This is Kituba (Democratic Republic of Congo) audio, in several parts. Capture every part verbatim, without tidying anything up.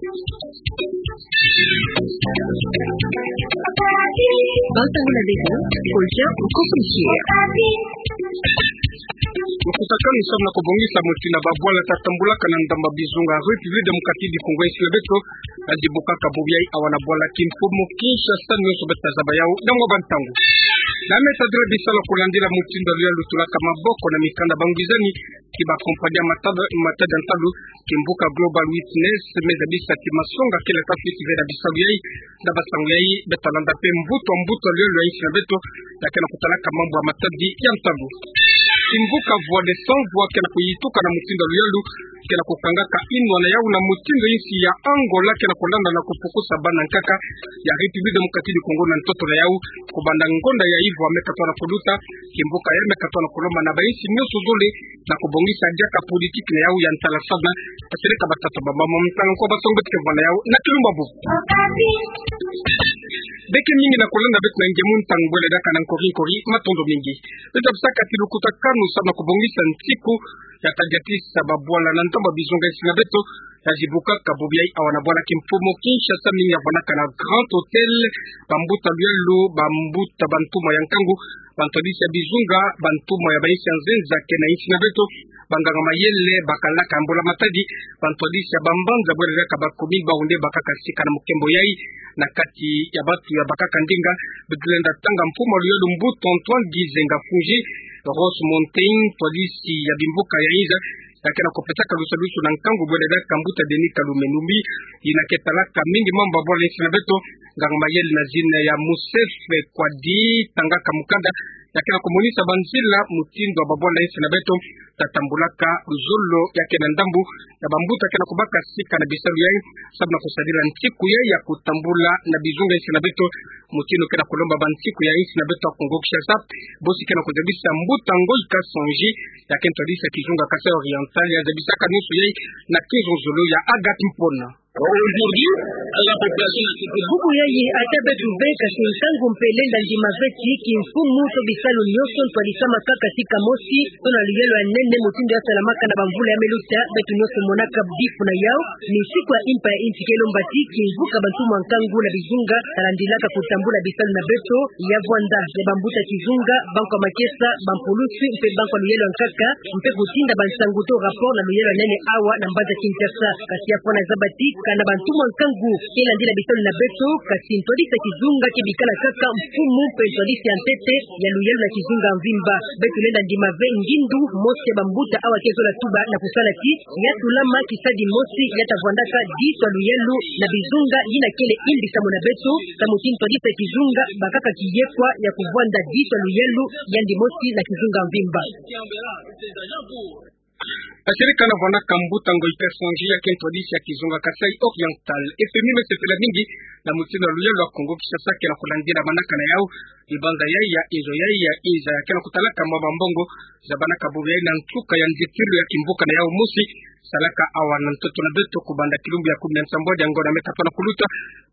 Bantu na beto, Kolcha Nkosushi. Lukutakanu samu na kubongisa mutindu babwala tatambulaka na ndamba bizunga République Démocratique du Congo, insi na beto, tazibukaka bubu yayi awa na bwala kimfumu Kinshasa, nionso beto tazaba yau na ngwa bantangu. Na me tadila bisalu kulandila mutindu ya luyalu, tolaka maboko na mikanda bangwizani, ki ba compagnie ya mata-, matadi ya ntalu, kimvuka Global Witness, me zabisa ti masonga kele tafiti ve na bisalu yayi, na basangu yayi, beto talanda mpe mbuta mbuta ya luyalu ya insi na beto, ya ke na kutalaka mambu ya matadi ya ntalu. Kimvuka Voix des Sans Voix ke na kuyituka na mutindu ya luyalu, ke na kukangaka inwa na yau na mutindu insi ya Angola ke na kulanda na kupukusa bana nkaka ya République Démocratique du Congo na ntoto na yau, kubanda ngonda ya ivo ya me katoa na kuluta, kimvuka ya me katoa na kulomba na bainsi nionso zole, na kubongisa diaka politique na yau ya ntala samu na, basereka batata bamama, mutanga kwa basongo beto ke vwanda yau na kilumbu bubu. Beke mingi na kulanda beto na nge mu ntangu bwele diaka na nkori nkori, matondo mingi. Beto tabisaka ti lukutakanu samu na kubongisa nsiku ya tadiatisa babwala na ndamba bizunga insi na beto, tazibukaka bubu yayi awa na bwala kimfumu Kinshasa, mingi ya vwandaka na Grand Hôtel, bambuta luyalu, bambuta bantumwa ya nkangu, bantwadisi ya bizunga, bantumwa ya bainsi ya nzenza ke na insi na beto, banganga mayele, bakalaka mbula matadi, bantwadisi ya bambanza bwele diaka ba commune, bau nde bakaka sika na mukembo yayi, na kati ya bantu ya bakaka ndinga, beto lenda tanga mfumu ya luyalu mbuta Antoine Gizenga Fungi, Ross Montaigne, twadisi ya bimvuka ya inza, ya ke na kupesaka lusalusu na nkangu bwele diaka mbuta Denis Kalume Numbi, yina ke talaka mingi mambu ya bwala insi na beto, nganga mayele na zina ya Moussef Kouadi, tangaka mukanda, ya ke na kumonisa banzila mutindu ya babwala insi na beto tatambulaka, luzolo ya ke na ndambu ya bambuta ke na kubaka sika na bisalu yayi, samu na kusadila nsiku yayi ya kutambula na bizunga insi na beto, mutindu ke na kulomba bansiku ya insi na beto ya Congo Kinshasa, bosi ke na kuzabisa mbuta Ngoyi Kasonji, ya ke ntwadisi ya kizunga Kasai Oriental, ya zabisaka nionso yayi na kizololo ya Agathe Mpona. Aujourd'hui, la population n'a que... Bubu yayi ata beto ve kasi ntangu mpe lenda ndima ve ti kimfumu to bisalu nionso ntwadisamaka kaka sika mosi, to na luyalu ya nene mutindu ya salamaka na bamvula ya me luta, beto nionso monaka bifu na yau, ni nsiku ya impa ya insi ke lomba ti kimvuka bantumwa nkangu na bizunga, talandilaka kutambula bisalu na beto, ya vwanda ya bambuta kizunga, banko ya makesa, bampulusi, mpe banko ya luyalu ya nkaka, mpe kutinda bansangu to rapport na luyalu ya nene awa na mbanza Kinshasa. Kasi ya fwana zaba ti, kana bantumwa nkangu ke landila bisalu na beto, kasi ntwadisi ya kizunga ke bikala kaka mfumu mpe ntwadisi ya ntete ya luyalu na kizunga mvimba. Beto lenda ndima ve ngindu mosi ya bambuta awa ke zola tuba na kusala ti, ya tulama kisadi mosi ya tavwandaka ditu ya luyalu na bizunga, yina kele imbi samu na beto, samu ti ntwadisi ya kizunga bakaka kiyekwa ya kuvwanda ditu ya luyalu yandi mosi na kizunga mvimba. Asirika na vwandaka mbuta Ngoyi Kasonji ya ke ntwadisi ya kizunga Kasai Oriental. F M I me sepela mingi na mutindu ya luyalu ya Congo Kinshasa ke na kulandila manaka na yau, ibanza yayi ya inzo yayi ya inza ya ke na kutalaka mwa bambongo zabanaka bubu yayi na nsuka ya nzitilu ya kimvuka na yau mosi, salaka awa na ntoto na beto kubanda kilumbu ya kumi na nsambwadi ya ngonda me katoa na kuluta,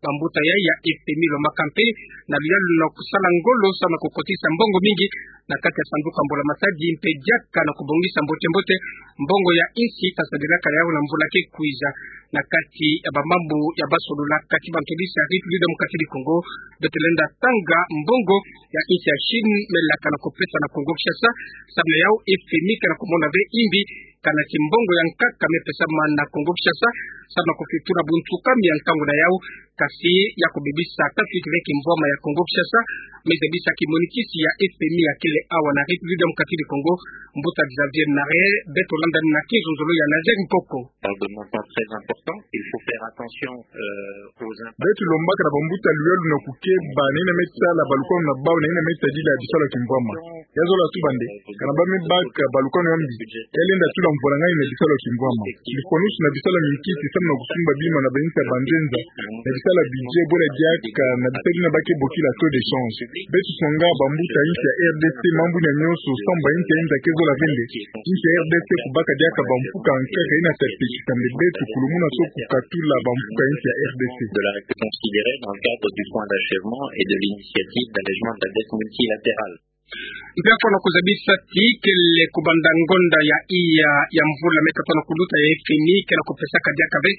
bambuta yayi ya F M I lomaka mpe na luyalu na kusala ngolo samu na kukotisa mbongo mingi na kati ya sanduku ya mbula matadi mpe diaka na kubongisa mbote mbote mbongo ya insi tasadilaka na yau na mvula ke kwiza. Na kati ya bamambu ya basololaka ti bantwadisi ya République Démocratique du Congo, beto lenda tanga mbongo ya insi ya Chine me laka na kupesa na Congo Kinshasa, samu na yau F M I ke na kumona ve imbi kana ti mbongo ya nkaka me pesama na Congo Kinshasa, samu na kufituna buntukami ya nkangu na yau, kasi ya kubebisa tafiti ve kimvwama ya Congo Kinshasa, me zabisa kimonikisi ya F M I ya kele awa na République Démocratique du Congo, mbuta Xavier Nare, beto landa na kizololo ya Nazaire Nkoko. Parle de montants très importants. Il faut faire attention, euh, aux impacts. Beto lombaka na bambuta luyalu na kukeba na yina me sala balukanu na bau na yina me tadila bisalu ya kimvwama. Ya zola tuba nde, kana ba me baka balukanu ya mbi, ya lenda tula mvwalangani na bisalu ya kimvwama. Lifwanusu na bisalu ya minkisi samu na kusumba bima na bainsi ya banzenza, na bisalu ya budget, bwela diaka na bisalu yina ba ke bokila taux de change. Beto songa bambuta insi ya R D C, mambu yina nionso samu bainsi ya inza ke zola ve nde, insi ya R D C kubaka diaka bamfuka nkaka yina ta tekisa mbe beto kulumuna so kukatula bamfuka insi ya R D C. De la considérer dans le cadre du plan d'achèvement et de l'initiative d'allègement de la dette multilatérale. Mpe afwana kuzabisa ti kele kubanda ngonda ya iya ya mvula meta tona kuluta ya F M I kena kupesaka diaka ve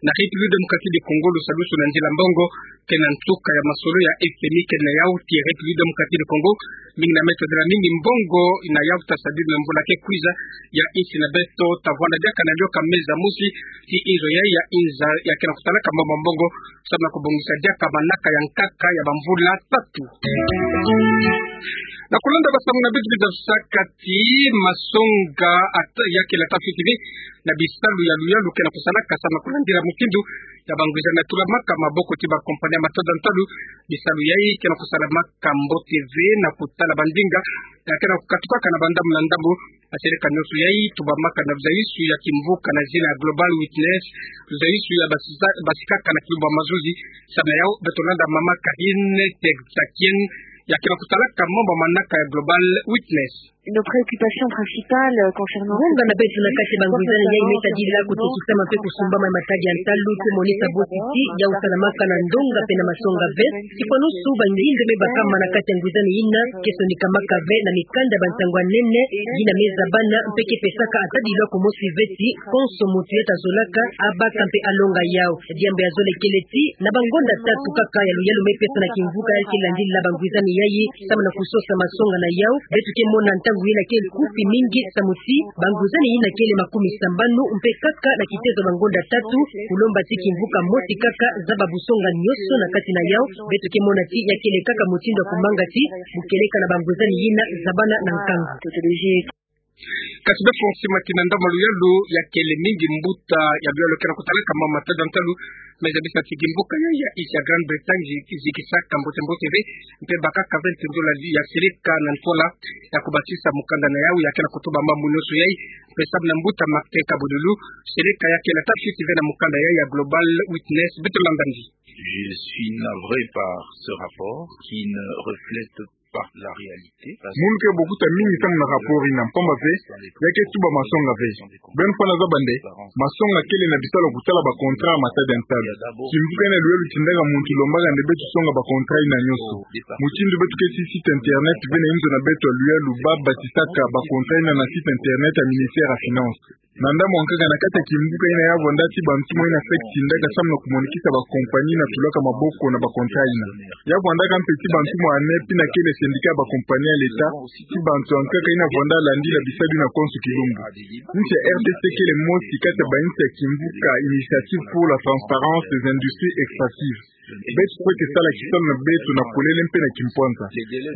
na République Démocratique du Congo lusalusu na nzila mbongo, kena nsuka ya masolo ya F M I kena yau ti République Démocratique du Congo, mingi na meta dela mingi mbongo na yau ta sadidi na mvula ke kwiza ya insi na beto ta vwanda diaka na lioka meza mosi ti inzo ya, ya inza ya kena kusalaka mambu ma mbongo, samu na kubongisa diaka manaka ya nkaka ya bamvula tatu. Na kulanda basamu na beto, beno zabisaka ti masonga ata, ya kele ata fioti ve na bisalu ya luyalu kena kusalaka samu na kulandila mutindu ya bangwizani ya tulamaka maboko ti bakompani ya matada ntalu. Bisalu yai kena kusalamaka mbote ve na kutala bandinga ya kena kukatukaka na bandambu na ndambu. Maseleka nyonso yai tubamaka na luzaisu ya kimvuka na zina ya Global Witness, luzaisu ya basisa-, basikaka na kilumbu ya mazuzi. Samu na yau beto landa mama Karine Texakien ya kena kutalaka mambu manaka ya Global Witness. Nos préoccupations principales, euh, concernant... Ngonga na beto na kati ya bangwizani yai meta dila kutekisama mpe kusumbama ya matadi ya ntalu, kumonisa bosi ti yau salamaka na ndonga mpe na masonga ve. Tifwanusu bangindo me bakama na kati ya ngwizani yina ke sonikamaka ve na mikanda ya bansangu ya nene yina me zabana mpe ke pesaka ata dilwa kumosi ve ti konso muntu yeta zolaka abaka mpe alonga yau. Diambu ya zole kele ti na bangonda tatu kaka ya luyalu me pesa na kimvuka ya ke landila bangwizani yai samu na kusosa masonga na yau, beto ke mona ntangu yina ke kufi mingi samu ti bangwizani yina kele makumi sambanu mpe kaka na kitezo bangonda tatu, kulomba ti kimvuka mosi kaka zaba busonga nyonso na kati na yau. Beto ke mona ti ya kele kaka mutindu ya kumanga ti bukeleka na bangwizani yina zabana na nkangu. Kasi be fo nsima ti na ndambu ya luyalu ya kele mingi mbuta ya luyalu kena kutalaka mama matada ntalu, me zabisa ti kimvuka ya, ya insi ya Grande-Bretagne zi-, zikisaka mbote mbote ve, mpe bakaka ve ntindola ya seleka na ntwala ya kubatisa mukanda na yau ya kena kutuba mambu nyonso yai, mpe samu na mbuta Martin Kabululu, seleka ya kele ata fioti ve na mukanda yai ya Global Witness, beto landa ndi. Je suis navré par ce rapport qui ne reflète pas la réalité. Munu ke bokuta mingi samu na rapport yina, mpamba ve ya ke tuba masonga ve. Beno fwana zaba nde, masonga kele na bisalu ya kutala ba contrat ya matadi ya ntalu. Kimvuka yina luyalu tindaka muntu lombaka nde beto songa ba contrat yina nyonso. Mutindu beto keti site internet ve na inzo na beto ya luyalu ba batisaka ba contrat yina na site internet ya ministère ya Finances. Na ndambu ya nkaka, na kati ya kimvuka yina ya vwanda ti bantumwa yina fekisi ndaka samu na kumonikisa ba compagnie na tulaka maboko na ba contrat yina. Ya vwandaka mpe ti bantumwa ya nepi na kele syndicat ya ba compagnie ya l'État, ti bantu ya nkaka yina vwanda landila bisalu yina konso kilumbu. Insi ya R D C kele mosi kati ya ba insi ya kimvuka Initiative pour la transparence des industries extractives. Beto kwe ke sala kisalu na beto na polele mpe na kimpwanza.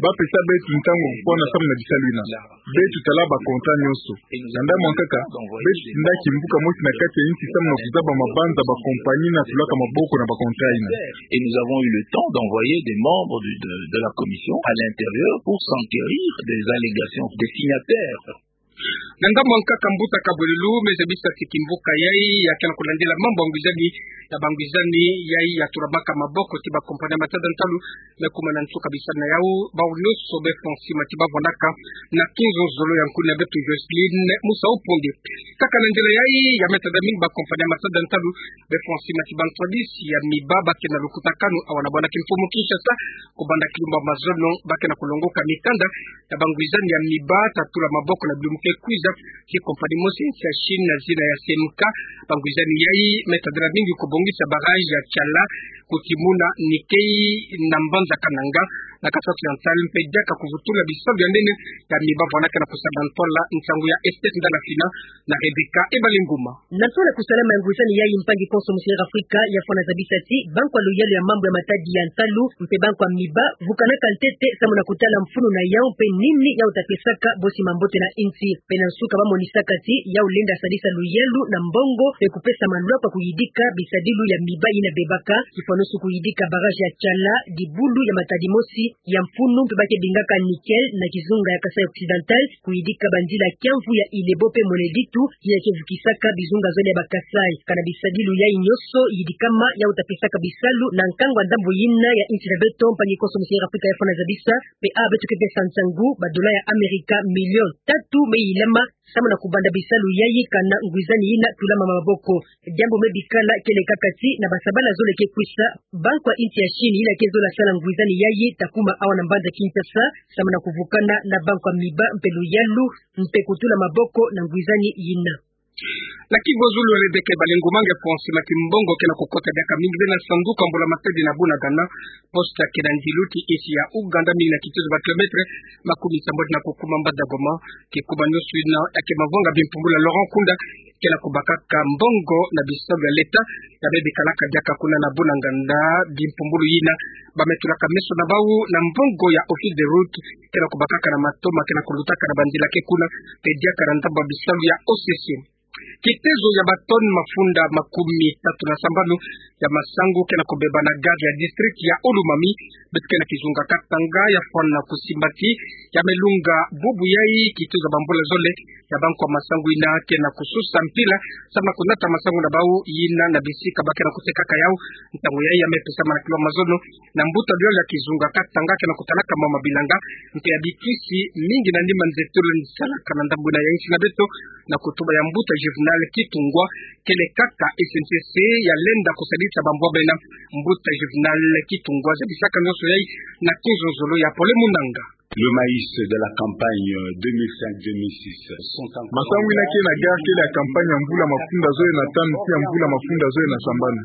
Ba pesa beto ntangu ya kufwana samu na bisalu yina. Beto tala ba contrat nyonso. Na ndambu ya nkaka, beto tinda kimvuka mosi na kati ya insi samu na kuzaba mabanza ba compagnie na tulaka maboko na ba contrat yina. Et nous avons eu le temps d'envoyer des membres du, de, de la commission à l'intérieur pour s'enquérir des allégations des signataires. Na ndambu ya nkaka, mbuta Kabululu me zabisa ti kimvuka yai ya kena kulandila mambu ya ngwizani, ya bangwizani yai ya tulamaka maboko ti ba compagnie ya matadi ya ntalu, me kuma na nsuka bisalu na yau, bau nyonso be fo nsima ti ba vwandaka na kinzonzolo ya nkuna ya beto Jocelyn Musa Uponde. Kaka na nzila yai ya meta da mingi ba compagnie ya matadi ya ntalu be fo nsima ti ba ntwadisi ya miba ba kena lukutakanu awa na bwala kimfumu Kinshasa, kubanda kilumbu ya mazono ba kena kulongoka mikanda ya bangwizani ya miba ta tula maboko na bilumbu ke kwiza, ti compagnie mosi ya Chine na zina ya C M K. Bangwizani yai meta dela mingi kubongisa barrage ya Tshala, kutimuna nickel na mbanza Kananga, na Kasai Oriental, mpe diaka kuvutula bisalu ya nene ya miba vwanaka na kusala ntwala. Nsangu ya Esther Ndala Fina na Rebecca Ebalinguma. Na ntwala kusalama ya ngwizani yai, mpangi konso mu Centrafrique ya fwana zabisa ti banku ya luyalu ya mambu ya matadi ya ntalu mpe banku ya miba vukanaka ntete samu na kutala mfunu na yau mpe nini yau ta pesaka bosi mambote na insi. Mpe na nsuka ba monisaka ti yau lenda sadisa luyalu na mbongo mpe kupesa malwa kwa kuyidika bisadilu ya miba yina bebaka, tifwanusu kuyidika barrage ya Tshala, dibulu ya matadi mosi ya mfunu mpe ba ke bingaka nickel na kizunga ya Kasai Occidental, kuyidika banzila kiamvu ya Ilebo mpe Moneditu, yina ke vukisaka bizunga zole ya ba Kasai. Kana bisadilu yai nyonso yidikama, yau ta pesaka bisalu na nkangu ya ndambu yina ya insi na beto, mpangi konso mu Centrafrique ya fwana zabisa. Mpe a beto ke pesa nsangu, ba dola ya Amerika milioni tatu me yilama samu na kubanda bisalu yai kana ngwizani yina tulama maboko. Diambu me bikala kele kaka ti na basabala zole ke kwisa, Banque ya insi ya Chine yina ke zola sala ngwizani yayi ta kuma awa na mbanza Kinshasa, samu na kuvukana na banque ya Miba mpe Luyalu, mpe kutula maboko na ngwizani yina. Na Kivu, zulu Rebecca Balengo Mange, pont sima kimbongo ke na kukota diaka mingi ve na sanduku ya mbula-matadi na Bunagana. Poste ke na ndilu ti insi ya Ouganda, mingi na kitezo ba kilomètre makumi sambwadi na kukuma mbanda Goma. Kikuma nyonso yina ya ke mavanga bimpumbulu ya Laurent Nkunda, ke na kubakaka mbongo na bisalu ya leta, ya me bikalaka diaka kuna na Bunagana. Bimpumbulu yina ba me tulaka meso na bau na mbongo ya Office des routes, ke na kubakaka na matoma ke na kulutaka na banzila ke kuna, mpe diaka na ndambu ya bisalu ya O C C. Kitezo ya ba tonne mafunda makumi tatu na sambanu ya masangu ke na kubeba na gare ya district ya Ouroumami. Beto ke na kizunga Katanga ya fwana kusimbati, ya me lunga bubu yayi kitezo ya bambula zole, ya bankwa masangu yina ke na kususa mpila, samu na kunata masangu na bau yina na bisika ba ke na kutekaka yau. Ntangu yayi ya me pesama na kilo mazono na mbuta luyalu ya kizunga Katanga ke na kutalaka mama bilanga, mpe ya bikisi mingi na nima nzetolo ni salaka na ndambu yina ya insi na beto, na kutuba ya mbuta Juvenal Kitungwa, kele kaka S N C C ya lenda kusadisa bambwa bena. Mbuta Juvenal Kitungwa zabisaka nyonso yayi na kuzozolo ya Pole Munanga. Le maïs de la campagne deux mille cinq deux mille six sont encore... Masangu yina ke na gare kele ya campagne ya mvula mafunda zole na tanu ti ya mvula mafunda zole na sambanu.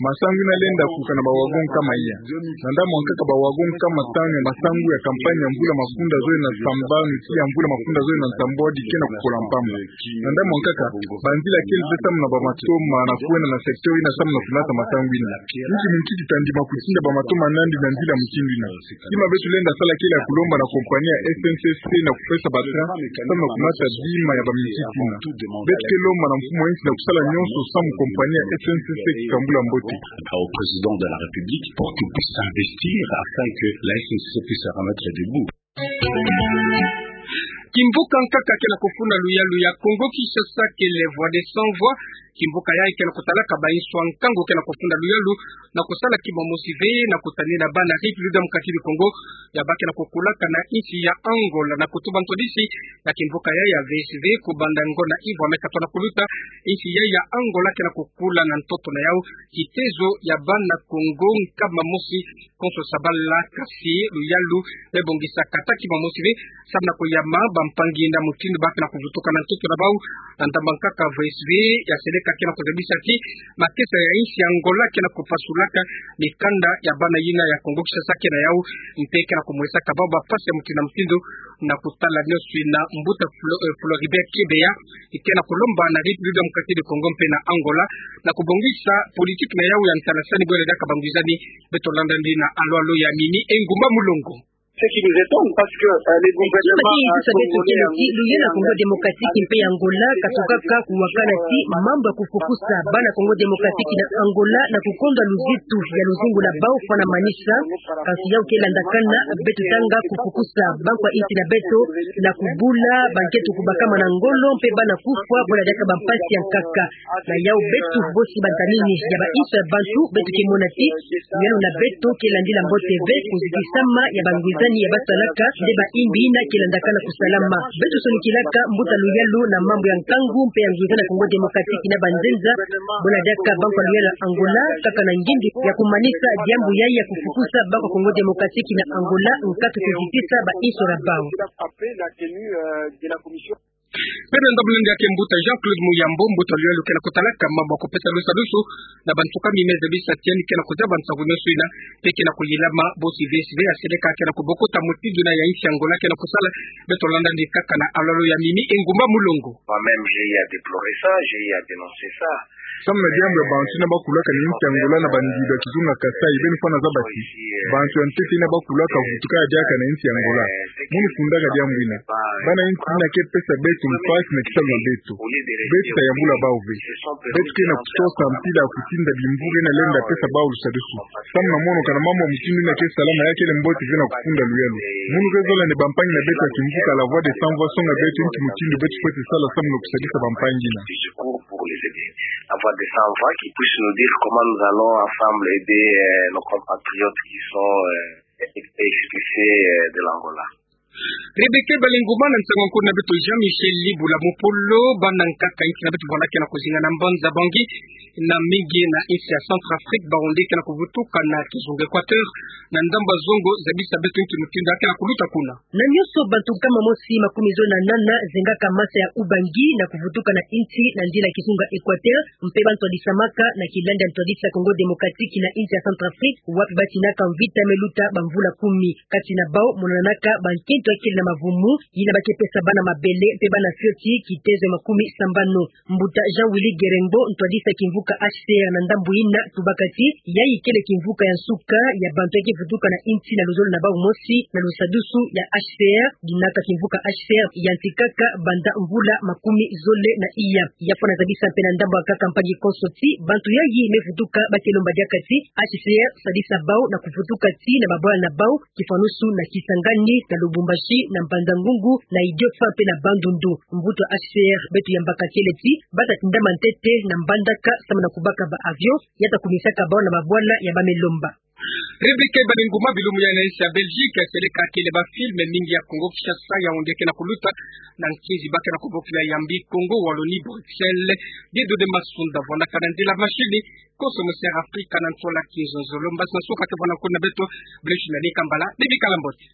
Masangu yina lenda kuka na ba wagon nkama iya. Na ndambu ya nkaka, ba wagon nkama tanu ya masangu ya campagne ya mvula mafunda zole na sambanu ti ya mvula mafunda zole na nsambwadi ke na kupola mpamba. Na ndambu ya nkaka, banzila kele ve samu na ba matoma na kwenda na secteur yina samu na kunata masangu yina. Inki munkiki ta ndima kutinda ba matoma na yandi na nzila mutindu yina? Kima beto lenda sala kele ya kulomba na compagnie ya S N C C na kupesa ba train samu na kunata bima ya ba munkiki yina. Beto ke lomba na mfumu ya insi na kusala nyonso samu compagnie ya S N C C kisambula mbote. Au président de la République pour qu'il puisse s'investir afin que la S N C C puisse se remettre debout. Kimvuka nkaka ke na kufuna luyalu ya Kongo Kinshasa kele Voix des Sans Voix. Kimvuka yayi ke na kutalaka ba insi ya nkangu ke na kufuna luyalu na kusala kima mosi ve na kutanina bana République démocratique du Congo, ya ba ke na kukulaka na insi ya Angola. Na kutuba ntwadisi ya kimvuka yayi ya V S V, kubanda ngonda ivwa me katwa na kuluta, insi yayi ya Angola ke na kukula na ntoto na yau kitezo ya bana Kongo nkama mosi konso sabala, kasi luyalu me bongisa kata kima mosi ve samu na kuyama bampangi na mutindu ba ke na kuvutuka na ntoto na bau. Na ndambu ya nkaka, V S V ya seleka ke na kuzabisa ti makesa ya insi ya Angola ke na kupasulaka mikanda ya bana yina ya Kongo Kinshasa ke na yau, mpe ke na kumwesaka bau ba mpasi ya mutindu na mutindu. Na kutala nyonso yina, mbuta Flo-, eh, Floribert Chebeya ke na kulomba na République démocratique du Congo mpe na Angola na kubongisa politique na yau ya ntalasani bwela diaka bangwizani. Beto landa ndi na alwalo ya Mimi Engumba Mulongo. Ce qui nous étonne, parce que, euh, les... Kima ke yitusa beto kele ti luyalu ya Congo Démocratique mpe ya Angola ka tukaka kuwakana ti mambu ya kufukusa bana Congo Démocratique na Angola na kukonda luzitu ya luzingu la bau fwana manisa. Kansi yau ke landakana, beto tanga kufukusa bankwa insi na beto na kubula bankento kubakama na ngolo mpe bana kufwa bwela diaka bampasi ya nkaka. Na yau beto bosi bantamini ya ba insi ya bantu, beto ke mona ti luyalu na beto ke landila mbote ve, kuzitisama ya bangwizani ya basalaka nde ba imbi yina ke landakana kusalama. Beto sonikilaka mbuta luyalu na mambu ya nkangu mpe ya ngwizani ya Congo Démocratique na banzenza, bwela diaka bankwa luyalu ya Angola kaka na ngindu ya kumanisa diambu yayi ya kufukusa bankwa Congo Démocratique na Angola, nkatu kuzitisa ba insi ya bau. Pene ndambu nandi ake mbuta Jean-Claude Muyambo, mbuta luyalu ke na kutalaka mambu ya kupesa lusadusu na bantu kumi me zabisa ti yandi ke na kuzaba nsangu nyonso yina, mpe ke na kuyilama bosi V S V ya seleka ke na kubokota mutindu yina ya insi ya Angola ke na kusala. Beto landa ndi kaka na alwalo ya Mimi Engumba Mulongo. Moi-même, j'ai eu à déplorer ça, j'ai eu à dénoncer ça. Samu na diambu ya bantu yina bakulaka na insi ya Angola na bandilu ya kizunga Kasai, beno fwana zaba ti bantu ya ntete yina bakulaka vutuka ya diaka na insi ya Angola. Munu fundaka diambu yina. Bana insi yina ke pesa beto mpasi na kisalu na beto. Beto ta yambula bau ve. Beto ke na kusosa mpila ya kutinda bimvura yina lenda pesa bau lusadusu. Samu na mono kana mambu ya mutindu yina ke salama, ya kele mbote ve na kufunda luyalu. Munu ke zola nde bampangi na beto ya kimvuka La Voix des Sans Voix songa beto nki mutindu beto fwete sala samu na kusadisa bampangi yina. Pour les aider. La Voix des Sans Voix qui puisse nous dire comment nous allons ensemble aider, euh, nos compatriotes qui sont, euh, expulsés, euh, de l'Angola. Rebecca Balinguma, na nsangu nkuna beto Jean-Michel Libula Mopolo. Bana nkaka inki na beto bavwandaka na kuzinga na mbanza Bangui, na mingi na insi ya Centrafrique, baonde ke na kuvutuka na kizunga Équateur, na ndambu zongo, zabisa beto inki mutindu ke na kuluta kuna. Na nionso, bantu nkama mosi makumi zole na nana zengaka masa ya Ubangi na kuvutuka na insi na nzila kizunga Équateur, mpe bantwadisamaka na kilandi ya ntwadisa Congo Démocratique na insi ya Centrafrique, wapi batinaka mvita me luta bamvula kumi. Kati na bau monanaka bankento ya kele na mavumu, yina ba ke pesa bana mabele mpe bana fioti kitezo ya makumi sambanu. Mbuta Jean Willy Gerengbo, ntwadisa kimvuka H C R na ndambu yina, tubaka ti yayi kele kimvuka ya nsuka ya bantu ya ke vutuka na insi na luzolo na bau mosi na lusadusu ya H C R, dinaka kimvuka H C R yantikaka banda mvula makumi zole na iya. Ya fwana zabisa mpe na ndambu ya nkaka mpangi konso ti bantu yayi me vutuka ba ke lomba diaka ti H C R sadisa bau na kuvutuka ti na babwala na bau, kifwanusu na Kisangani, na Lubumbashi, na Mbanza-Ngungu, na Idiofa mpe na Bandundu. Mvutu ya H C R beto yambaka kele ti bata tindama ntete na mbandaka samu na kubaka ba avion ya ta kumisaka bau na babwala ya ba me lomba. Rebecca Balinguma, bilumu ya na insi ya Belgique, seleka kele ba film mingi ya Congo Kinshasa, Yaoundé ke na kuluta, na nkinzi ba ke na kubokila Yambi Congo, Wallonie, Bruxelles. Dieudonné Masunda, vwandaka na nzila mashini, konso mu Centrafrique na ntola kizonzolo. Mbasi na soka ke vwanda kuna beto, Blaise Nani Kambala, ni bikala mbote.